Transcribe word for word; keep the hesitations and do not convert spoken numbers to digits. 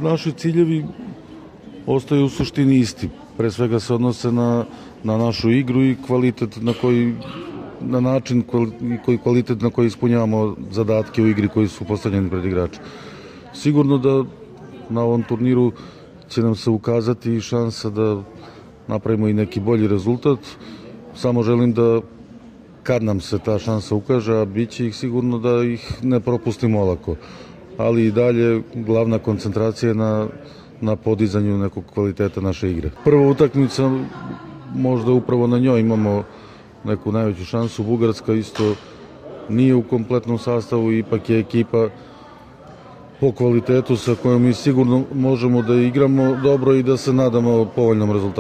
Naši ciljevi ostaju u suštini isti. Pre svega se odnose na, na našu igru i kvalitet na koji na način koji kvalitet na koji ispunjavamo zadatke u igri koji su postavljeni pred igrače. Sigurno da na ovom turniru će nam se ukazati šansa da napravimo i neki bolji rezultat. Samo želim da kad nam se ta šansa ukaže, a bit će ih sigurno, da ih ne propustimo olako. Ali i dalje glavna koncentracija je na, na podizanju nekog kvaliteta naše igre. Prva utakmica, možda upravo na njoj imamo neku najveću šansu. Bugarska isto nije u kompletnom sastavu, ipak je ekipa po kvalitetu sa kojom mi sigurno možemo da igramo dobro i da se nadamo povoljnom rezultatu.